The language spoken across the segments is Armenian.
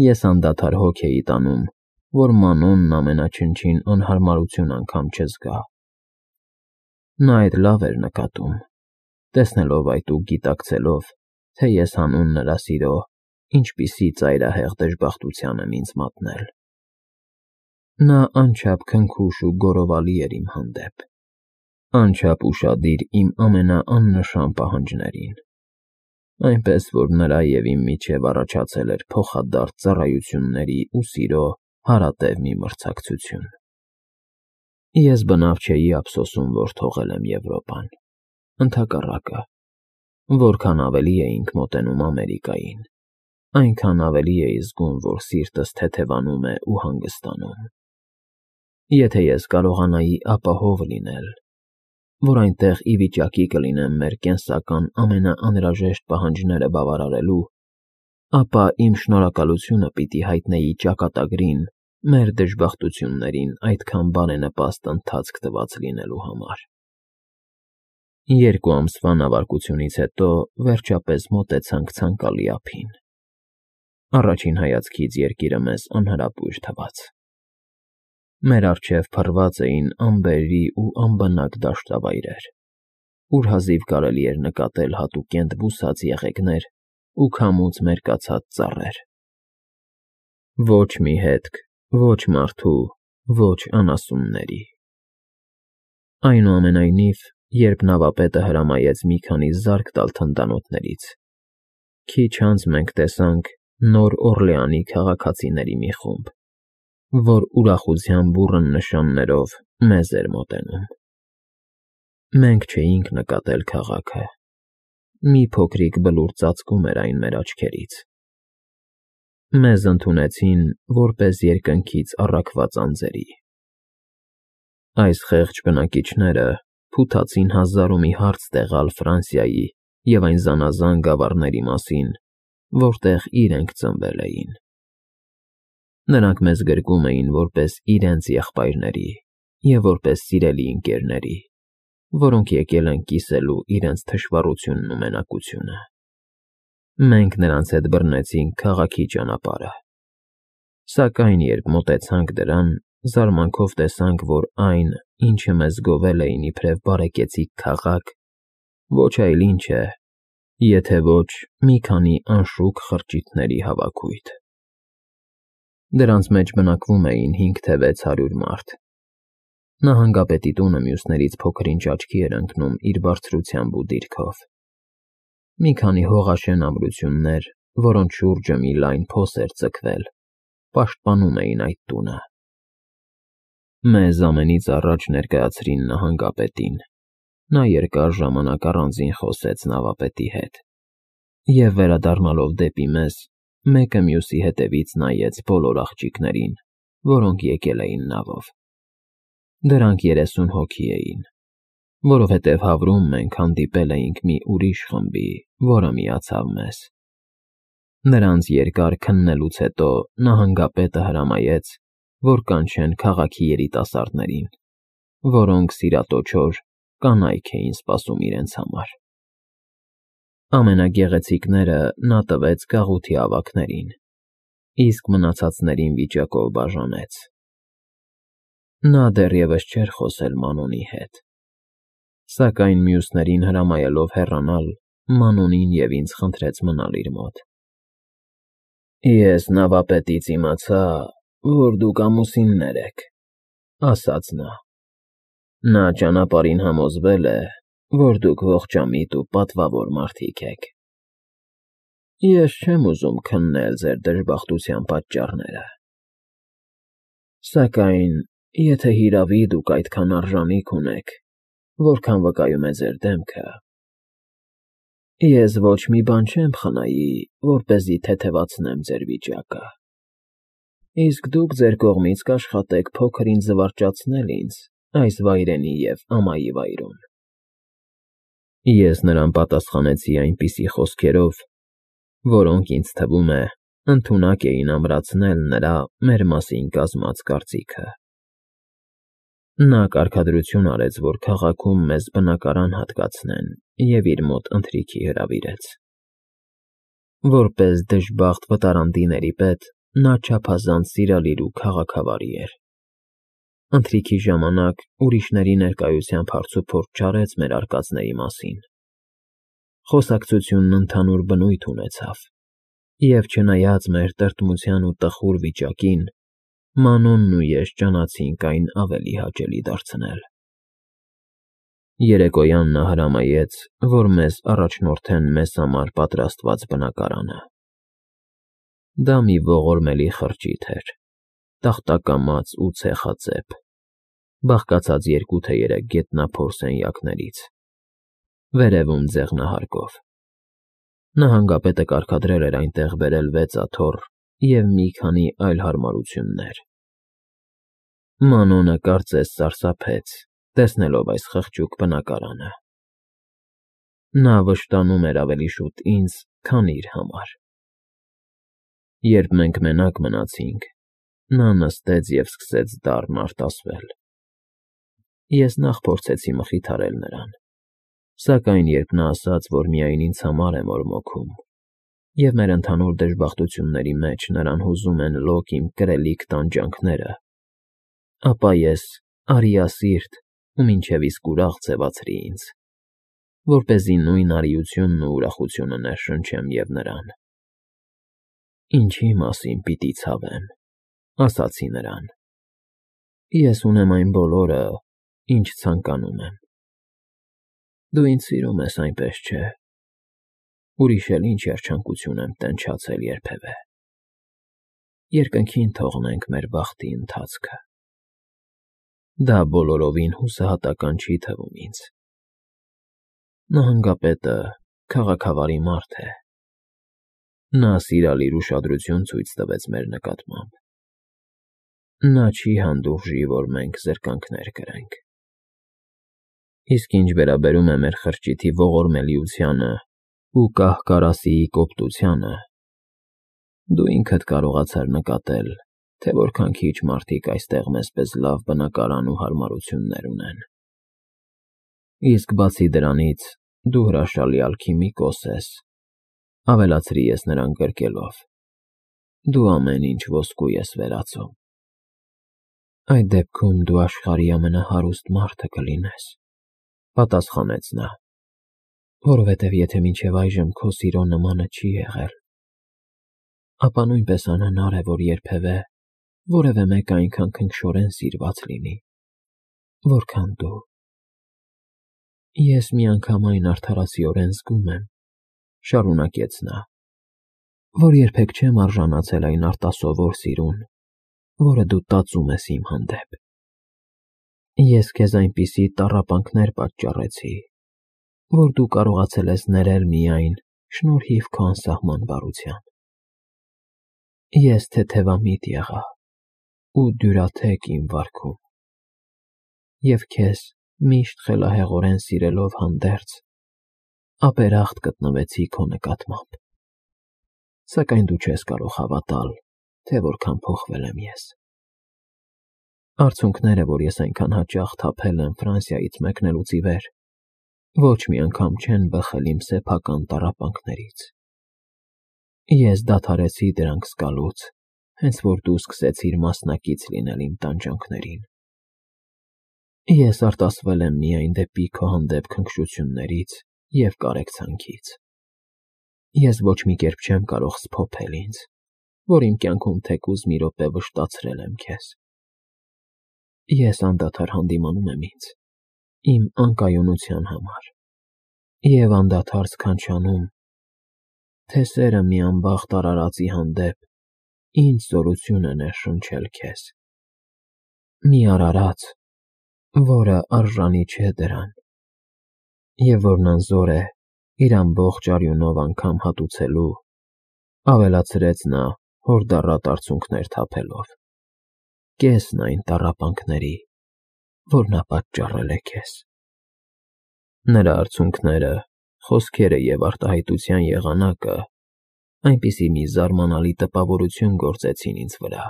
Ես անդադար հոգ էի տանում, որ Մանոնն ամենաչնչին անհարմարություն անգամ չզգա։ Նա այդ լավ էր նկատում, տեսնելով այդ ու գիտակցելով, թե ես հանուն նրա սիրո ինչպիսի ծայրահեղ դժբախտության եմ ինձ մատնել։ Նա անչափ քնքուշ ու գոռովալի էր իմ հանդեպ, անչափ ուշադիր իմ ամենաաննշան պահանջներին, այնպես որ նրա և իմ միջև առաջացել էր փոխադարձ ծառայությունների ու սիրո հարատև մի մրցակցություն։ Ես բնավ չէի ափսոսում, որ թողել եմ Եվրոպան, ընդհակառակը, որքան ավելի էինք մոտենում Ամերիկային, այնքան ավելի էի զգում, որ սիրտս թեթևանում է ու հանգստանում։ Եթե ես կարողանայի ապահով լինել, որ այնտեղ ի վիճակի կլինեմ մեր կենսական ամենաանհրաժեշտ պահանջները բավարարելու, ապա իմ շնորհակալությունը պիտի հայտնեի ճակատագրին մեր դժբախտություններին այդքան բարենպաստ ընթացք տված լինելու համար։ 2 ամսվա նավարկությունից հետո վերջապես մոտեցանք ցանկալի ափին։ Առաջին հայացքից երկիրը մեզ անհրապույր թվաց։ Մեր առջև փռված էին ամբերրի ու անբնակ դաշտավայրեր, ուր հազիվ կարելի էր նկատել հատուկենտ բուսած եղեգներ ու քամուց մերկացած ծառեր։ Ոչ մի հետք, ոչ մարդու, ոչ անասունների։ Այնուամենայնիվ, երբ նավապետը հրամայեց մի քանի զարկ տալ թնդանոթներից, քիչ անց մենք տեսանք Նոր Օրլեանի քաղաքացիների մի խումբ, որ ուրախության բուռն նշաններով մեզ էր մոտենում։ Մենք չէինք նկատել քաղաքը, մի փոքրիկ բլուր ծածկում էր այն մեր աչքերից։ Մեզ ընդունեցին որպես երկնքից առաքված անձերի։ Այս խեղճ բնակիչները փութացին հազար ու մի հարց տեղալ Ֆրանսիայի և այն զանազան գավառների մասին, որտեղ իրենք ծնվել էին։ Նրանք մեզ գրկում էին որպես իրենց եղբայրների և որպես սիրելի ընկերների, որոնք եկել են կիսելու իրենց թշվառությունն ու մենակությունը։ Մենք նրանց հետ բռնեցինք քաղաքի ճանապարհը, սակայն երբ մոտեցանք դրան, զարմանքով տեսանք, որ այն, ինչը մեզ գովել էին իբրև բարեկեցիկ քաղաք, ոչ այլ ինչ է, եթե ոչ մի քանի անշուք խրճիթների հավաքույթ։ Դրանց մեջ բնակվում էին 5 թե 600 մարդ։ Նահանգապետի տունը մյուսներից փոքր-ինչ աչքի էր ընկնում իր բարձրությամբ ու դիրքով։ Մի քանի հողաշեն ամրություններ, որոնց շուրջը մի լայն փոս էր ձգվել, պաշտպանում էին այդ տունը։ Մեզ ամենից առաջ ներկայացրին նահանգապետին, նա երկար ժամանակ առանձին խոսեց նավապետի հետ և, վերադառնալով դեպի մեզ, մեկը մյուսի հետևից նայեց բոլոր աղջիկներին, որոնք եկել էին նավով։ Դրանք 30 հոգի էին, որովհետև Հավրում մենք հանդիպել էինք մի ուրիշ խմբի, որը միացավ մեզ։ Նրանց երկար քննելուց հետո նահանգապետը հրամայեց, որ կանչեն քաղաքի երիտասարդներին, որոնք սիրատոչոր կանայք էին սպասում իրենց համար։ Ամենագեղեցիկները նա տվեց գաղութի ավագներին, իսկ մնացածներին վիճակով բաժանեց։ Նա դեռևս չէր խոսել Մանոնի հետ, սակայն մյուսներին հրամայելով հեռանալ, Մանոնին և ինձ խնդրեց մնալ իր մոտ։ «Ես նավապետից իմացա, որ դուք ամուսիններ եք,֊ ասաց նա։ Նա ճանապարհին համոզվել է, որ դուք ողջամիտ ու պատվավոր մարդիկ եք։ Ես չեմ ուզում քննել ձեր դժբախտության պատճառները։ Սակայն, եթե հիրավի դուք այդքան արժանիք ունեք, որքան վկայում է ձեր դեմքը, ես ոչ մի բան չեմ խնայի, որպեսզի թեթևացնեմ ձեր վիճակը, իսկ դուք ձեր կողմից կաշխատեք փոքր-ինչ զվարճացնել ինձ այս վայրենի և ամայի վայրում»։ Ես նրան պատասխանեցի այնպիսի խոսքերով, որոնք, ինձ թվում է, ընդունակ էին ամրացնել նրա մեր մասին կազմած կարծիքը։ Նա կարգադրություն արեց, որ քաղաքում մեզ բնակարան հատկացնեն և իր մոտ ընթրիքի հրավիրեց։ Որպես դժբախտ վտարանդիների պետ, նա չափազանց սիրալիր ու քաղաքավարի էր։ Ընթրիքի ժամանակ ուրիշների ներկայությամբ հարցուփորձ չարեց մեր արկածների մասին։ Խոսակցությունն ընդհանուր բնույթ ունեցավ, և չնայած մեր տրտմության ու տխուր վիճակին, Մանոնն ու ես ջանացինք այն ավելի հաճելի դարձնել։ Երեկոյան նա հրամայեց, որ մեզ առաջնորդեն մեզ համար պատրաստված բնակարանը։ Դա մի ողորմելի խրճիթ էր, տախտակամած ու ցեխածեպ, բաղկացած 2 թե 3 գետնափոր սենյակներից, վերևում ձեղնահարկով։ Նահանգապետը կարգադրել էր այնտեղ բերել 6 աթոռ և մի քանի այլ հարմարություններ։ Մանոնը կարծես սարսափեց, տեսնելով այս խղճուկ բնակարանը։ Նա վշտանում էր ավելի շուտ ինձ, քան իր համար։ Երբ մենք մենակ մնացինք, նա նստեց և սկսեց դառն արտասվել։ Ես նախ փորձեցի մխիթարել նրան, սակայն երբ նա ասաց, որ միայն ինձ համար է մորմոքում, և մեր ընդհանուր դժբախտությունների մեջ նրան հուզում են լոկ իմ կրելիք տանջանքները, ապա ես արիասիրտ ու մինչև իսկ ուրախ ձևացրի ինձ, որպեսզի նույն արիությունն ու ուրախությունը ներշնչեմ և նրան։ «Ինչի մասին պիտի ցավեմ,֊ ասացի նրան,֊ ես ունեմ այն բոլորը, ինչ ցանկանում եմ։ Դու ինձ սիրում ես, այնպես չէ՞։ Ուրիշ էլ ինչ երջանկություն եմ տենչացել երբևէ։ Երկնքին թողնենք մեր բախտի ընթացքը»։ Դա բոլորովին հուսահատական չի թվում ինձ։ Նահանգապետը քաղաքավարի մարդ է։ Նա սիրալիր ուշադրություն ցույց տվեց մեր նկատմամբ։ Նա չի հանդուրժի, որ մենք զրկանքներ կրենք։ Իսկ ինչ վերաբերում է մեր խրճիթի ողորմելիությանը ու կահ֊կարասիի կոպտությանը, դու ինքդ կարողացար նկատել, թե որքան քիչ մարդիկ այստեղ մեզ պես լավ բնակարան ու հարմարություններ ունեն։ Իսկ բացի դրանից, դու հրաշալի ալքիմիկոս ես,֊ ավելացրի ես նրան գրկելով,֊ դու ամեն ինչ ոսկու ես վերածում։ Այդ դեպքում դու աշխարհի ամենահարուստ մարդը կլինես,֊ պատասխանեց նա,֊ որովհետև եթե մինչև այժմ քո սիրո նմանը չի եղել, ապա նույնպես անհնար է, որ երբևէ որևէ մեկը այնքան քնքշորեն սիրված լինի, որքան դու։ Ես միանգամայն արդարացիորեն զգում եմ,֊ շարունակեց նա,֊ որ երբեք չեմ արժանացել այն արտասովոր սիրուն, որը դու տածում ես իմ հանդեպ։ Ես քեզ այնպիսի տառապանքներ պատճառեցի, որ դու կարողացել ես ներել միայն շնորհիվ քո անսահման բարության։ Ես թեթևամիտ եղա ու դյուրաթեք իմ վարքում, և քեզ միշտ խելահեղորեն սիրելով հանդերձ, ապերախտ գտնվեցի քո նկատմամբ։ Սակայն դու չես կարող հավատալ, թե որքան փոխվել եմ ես։ Արցունքները, որ ես այնքան հաճախ թափել եմ Ֆրանսիայից մեկնելուց ի վեր, ոչ մի անգամ չեն բխել իմ սեփական տառապանքներից։ Ես դադարեցի դրանք զգալուց, հենց որ դու սկսեցիր մասնակից լինել իմ տանջանքներին։ Ես արտասվել եմ միայն դեպի քո հանդեպ քնքշություններից և կարեկցանքից։ Ես ոչ մի կերպ չեմ կարող սփոփել ինձ, որ իմ կյանքում թեկուզ մի րոպե վշտացրել եմ քեզ։ Ես անդադար հանդիմանում եմ ինձ, իմ անկայունության համար, և անդադար սքանչանում, թե սերը մի անբախտ արարածի հանդեպ ինչ զորություն է ներշնչել քեզ։ Մի արարած, որը արժանի չէ դրան, և որն անզոր է իր ամբողջ արյունով անգամ հատուցելու,֊ ավելացրեց նա հորդառատ արցունքներ թափելով,֊ կեսն այն տառապանքների, որ նա պատճառել է քեզ։ Նրա արցունքները, խոսքերը և արտահայտության եղանակը այնպիսի մի զարմանալի տպավորություն գործեցին ինձ վրա,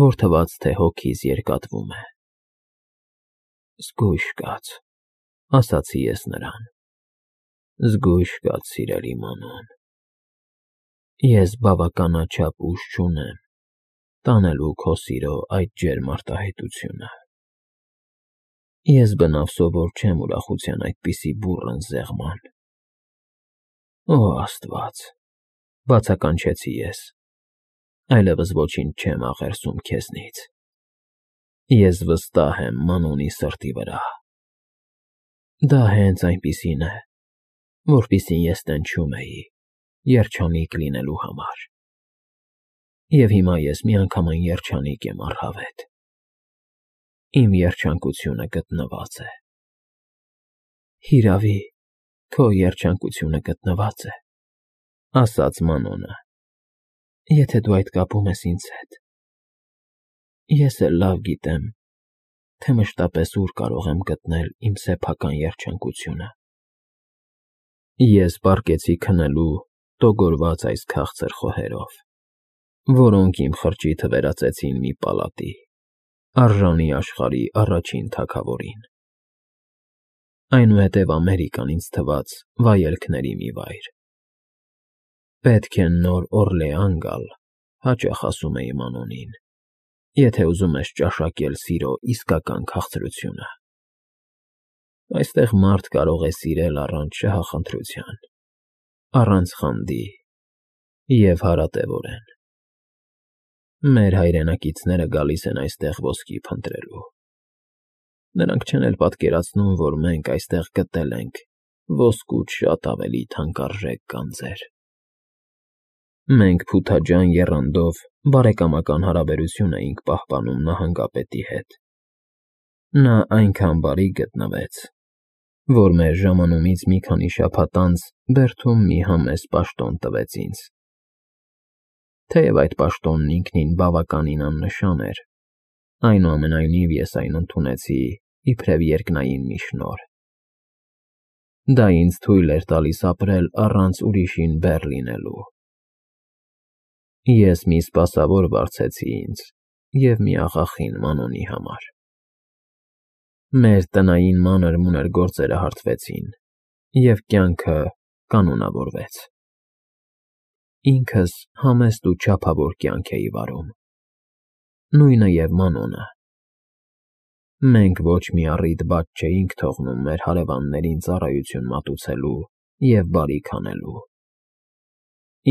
որ թվաց, թե հոգիս երկատվում է։ «Զգույշ կաց,֊ ասացի ես նրան,֊ զգույշ կաց, սիրելի Մանոն։ Ես բավականաչափ ուժ չունեմ տանելու քո սիրո այդ ջերմ արտահայտությունը։ Ես բնավ սովոր չեմ ուրախության այդպիսի բուռն զեղման։ Օ Աստված, բացականչեցի ես, այլևս ոչինչ չեմ աղերսում քեզնից։ Ես վստահ եմ Մանոնի սրտի վրա։ Դա հենց այնպիսին է, որպիսին ես տենչում էի երջանիկ լինելու համար։ Եվ հիմա ես միանգամայն երջանիկ եմ առհավետ։ Իմ երջանկությունը գտնված է։ Հիրավի, քո երջանկությունը գտնված է, ասաց Մանոնը, եթե դու այդ կապում ես ինձ հետ։ Ես էլ լավ գիտեմ, թե մշտապես ուր կարող եմ գտնել իմ սեփական երջանկությունը։ Ես պառկեցի քնելու տոգորված այս քաղցր խոհերով, որոնք իմ խրճիթը վերածեցին մի պալատի, արժանի աշխարհի առաջին թագավորին։ Այնուհետև Ամերիկան ինձ թվաց վայելքների մի վայր։ Պետք է Նոր Օրլեան գալ, հաճախ ասում էի Մանոնին, եթե ուզում ես ճաշակել սիրո իսկական քաղցրությունը։ Այստեղ մարդ կարող է սիրել առանց շահախնդրության, առանց խանդի և հարատևորեն։ Մեր հայրենակիցները գալիս են այստեղ ոսկի փնտրելու։ Նրանք չեն էլ պատկերացնում, որ մենք այստեղ գտել ենք ոսկուց շատ ավելի թանկարժեք գանձեր։ Մենք փութաջան եռանդով բարեկամական հարաբերություն էինք պահպանում նահանգապետի հետ։ Նա այնքան բարի գտնվեց, որ մեր ժամանումից մի քանի շաբաթ անց բերդում մի համեստ պաշտոն տվեց ինձ։ Թեև այդ պաշտոնն ինքնին բավականին աննշան էր, այնուամենայնիվ ես այն ընդունեցի իբրև երկնային մի շնորհ։ Դա ինձ թույլ էր տալիս ապրել առանց ուրիշին բեռ լինելու։ Ես մի սպասավոր վարձեցի ինձ և մի աղախին Մանոնի համար։ Մեր տնային մանր-մունր գործերը հարթվեցին, և կյանքը կանոնավորվեց։ Ինքս համեստ ու չափավոր կյանք էի վարում, նույնը և Մանոնը։ Մենք ոչ մի առիթ բաց չէինք թողնում մեր հարևաններին ծառայություն մատուցելու և բարիք անելու։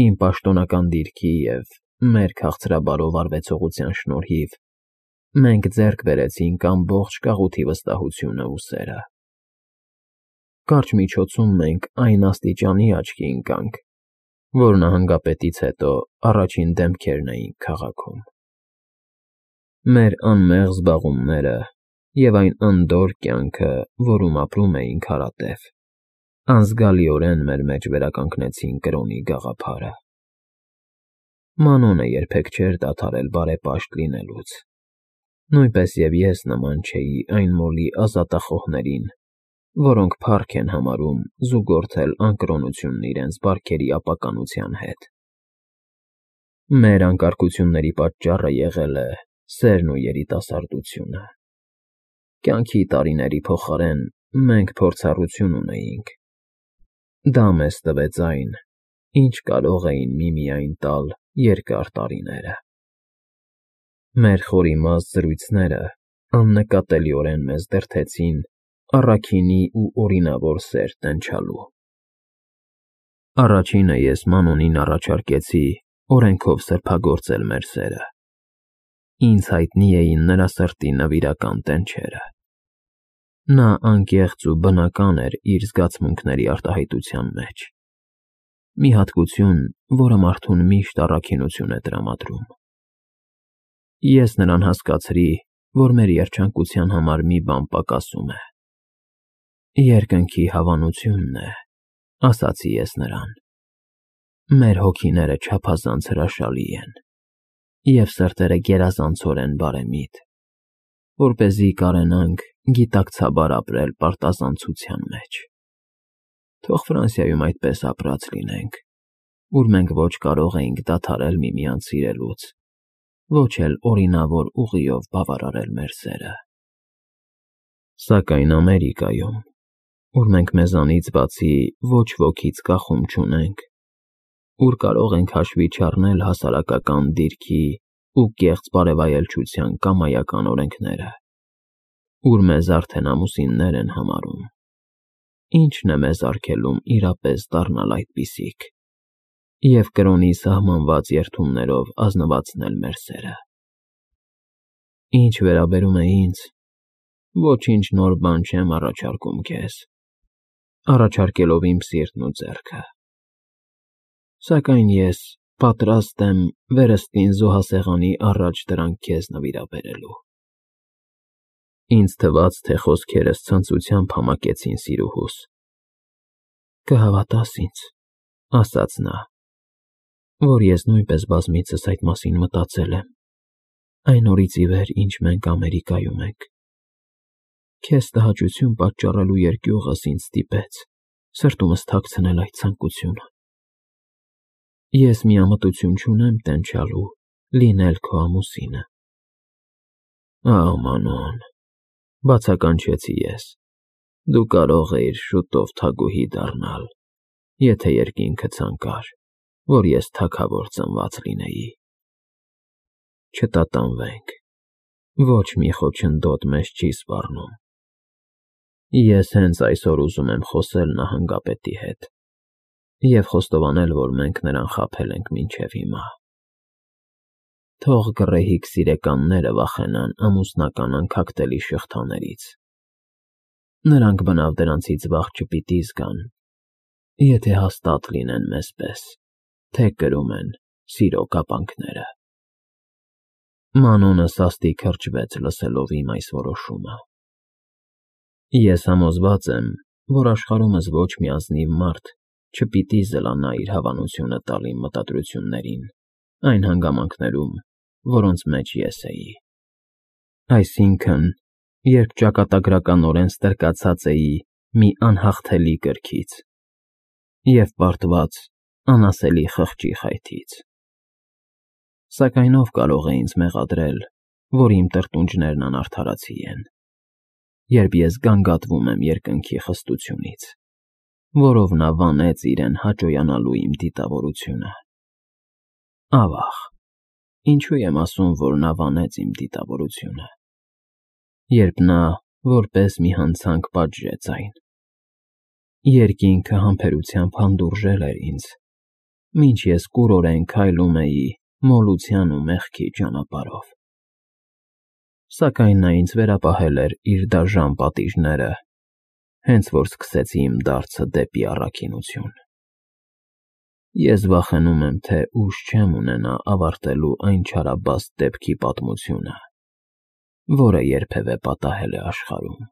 Իմ պաշտոնական դիրքի և մեր քաղցրաբարո վարվեցողության շնորհիվ մենք ձեռք բերեցինք ամբողջ կաղութի վստահությունն ու սերը։ Կարճ միջոցում մենք այն աստիճանի աչքի ընկանք, որ նահանգապետից հետո առաջին դեմքերն էինք քաղաքում։ Մեր անմեղ զբաղումները և այն անդորր կյանքը, որում ապրում էինք հարատև, անզգալիորեն մեր մեջ վերականգնեցին կրոնի գաղափարը։ Մանոնը երբեք չէր դադարել բարեպաշտ լինելուց, նույնպես և ես նման չէի այն մոլի ազատախոհներին, որոնք փառք են համարում զուգորդել անկրոնությունն իրենց բարքերի ապականության հետ։ Մեր անկարգությունների պատճառը եղել է սերն ու երիտասարդությունը։ Կյանքի տարիների փոխարեն մենք փորձառություն ունեինք։ Դա մեզ տվեց այն, ինչ կարող էին միմիայն տալ երկար տարիները։ Մեր խորիմաստ զրույցները աննկատելիորեն մեզ դրդեցին առաքինի ու օրինավոր սեր տենչալու։ Առաջինը ես Մանոնին առաջարկեցի օրենքով սրբագործել մեր սերը։ Ինձ հայտնի էին նրա սրտի նվիրական տենչերը։ Նա անկեղծ ու բնական էր իր զգացմունքների արտահայտության մեջ։ Մի հատկություն, որը մարդուն միշտ առաքինություն է տրամադրում։ Ես նրան հասկացրի, որ մեր երջանկության համար մի բան պակասում է։ Երկնքի հավանությունն է, ասացի ես նրան։ Մեր հոգիները չափազանց հրաշալի են, և սրտերը գերազանցորեն բարեմիտ, որպեսզի կարենանք գիտակցաբար ապրել պարտազանցության մեջ։ Թող Ֆրանսիայում այդպես ապրած լինենք, ուր մենք ոչ կարող էինք դադարել միմյանց սիրելուց, ոչ էլ օրինավոր ուղիով բավարարել մեր սերը։ Սակայն Ամերիկայում, ուր մենք մեզանից բացի ոչ ոքից կախում չունենք, ուր կարող ենք հաշվի չառնել հասարակական դիրքի ու կեղծ բարևայելչության կամայական օրենքները, ուր մեզ արդեն ամուսիններ են համարում, ի՞նչն է մեզ արգելում իրապես դառնալ այդպիսիք և կրոնի սահմանված երդումներով ազնվացնել մեր սերը։ Ինչ վերաբերում է ինձ, ոչինչ նոր բան չեմ առաջարկում քեզ, առաջարկելով իմ սիրտն ու ձեռքը, սակայն ես պատրաստ եմ վերստին զոհասեղանի առաջ դրանք քեզ նվիրաբերելու։ Ինձ թվաց, թե խոսքերս ցնծությամբ համակեցին սիրուհուս։ Կհավատաս ինձ, ասաց նա, որ ես նույնպես բազմիցս այդ մասին մտածել եմ, այն օրից ի վեր, ինչ մենք Ամերիկայում ենք։ Քեզ տհաճություն պատճառելու երկյուղս ինձ ստիպեց սրտումս թաքցնել այդ ցանկությունը։ Ես միամտություն չունեմ տենչալու լինել քո ամուսինը։ Ահ, Մանոն, բացականչեցի ես, դու կարող էիր շուտով թագուհի դառնալ, եթե երկինքը ցանկար, որ ես թագավոր ծնված լինեի։ Չտատանվենք, ոչ մի խոչընդոտ մեզ չի սպառնում։ Ես հենց այսօր ուզում եմ խոսել նահանգապետի հետ և խոստովանել, որ մենք նրան խաբել ենք մինչև հիմա։ Թող գռեհիկ սիրեկանները վախենան ամուսնական անքակտելի շղթաներից։ Նրանք բնավ դրանցից վախ չպիտի զգան, եթե հաստատ լինեն մեզ պես, թե կրում են սիրո կապանքները։ Մանոնը սաստիկ հրճվեց լսելով իմ այս որոշումը։ Ես համոզված եմ, որ աշխարհումս ոչ մի ազնիվ մարդ չպիտի զլանա իր հավանությունը տալ իմ մտադրություններին այն հանգամանքներում, որոնց մեջ ես էի։ Այսինքն, երբ ճակատագրականորեն ստրկացած էի մի անհաղթելի կրքից և պարտված անասելի խղճի խայթից։ Սակայն ով կարող է ինձ մեղադրել, որ իմ տրտունջներն անարդարացի են, երբ ես գանգատվում եմ երկնքի խստությունից, որով նա վանեց իրեն հաճոյանալու իմ դիտավորությունը։ Ավաղ, ինչու եմ ասում, որ նա վանեց իմ դիտավորությունը, երբ նա որպես մի հանցանք պատժեց այն։ Երկինքը համբերությամբ հանդուրժել էր ինձ, մինչ ես կուրորեն քայլում էի մոլության ու մեղքի ճանապարհով։ Սակայն նա ինձ վերապահել էր իր դաժան պատիժները, հենց որ սկսեցի իմ դարձը դեպի առաքինություն։ Ես վախենում եմ, թե ուժ չեմ ունենա ավարտելու այն չարաբաստ դեպքի պատմությունը, որը երբևէ պատահել է աշխարհում։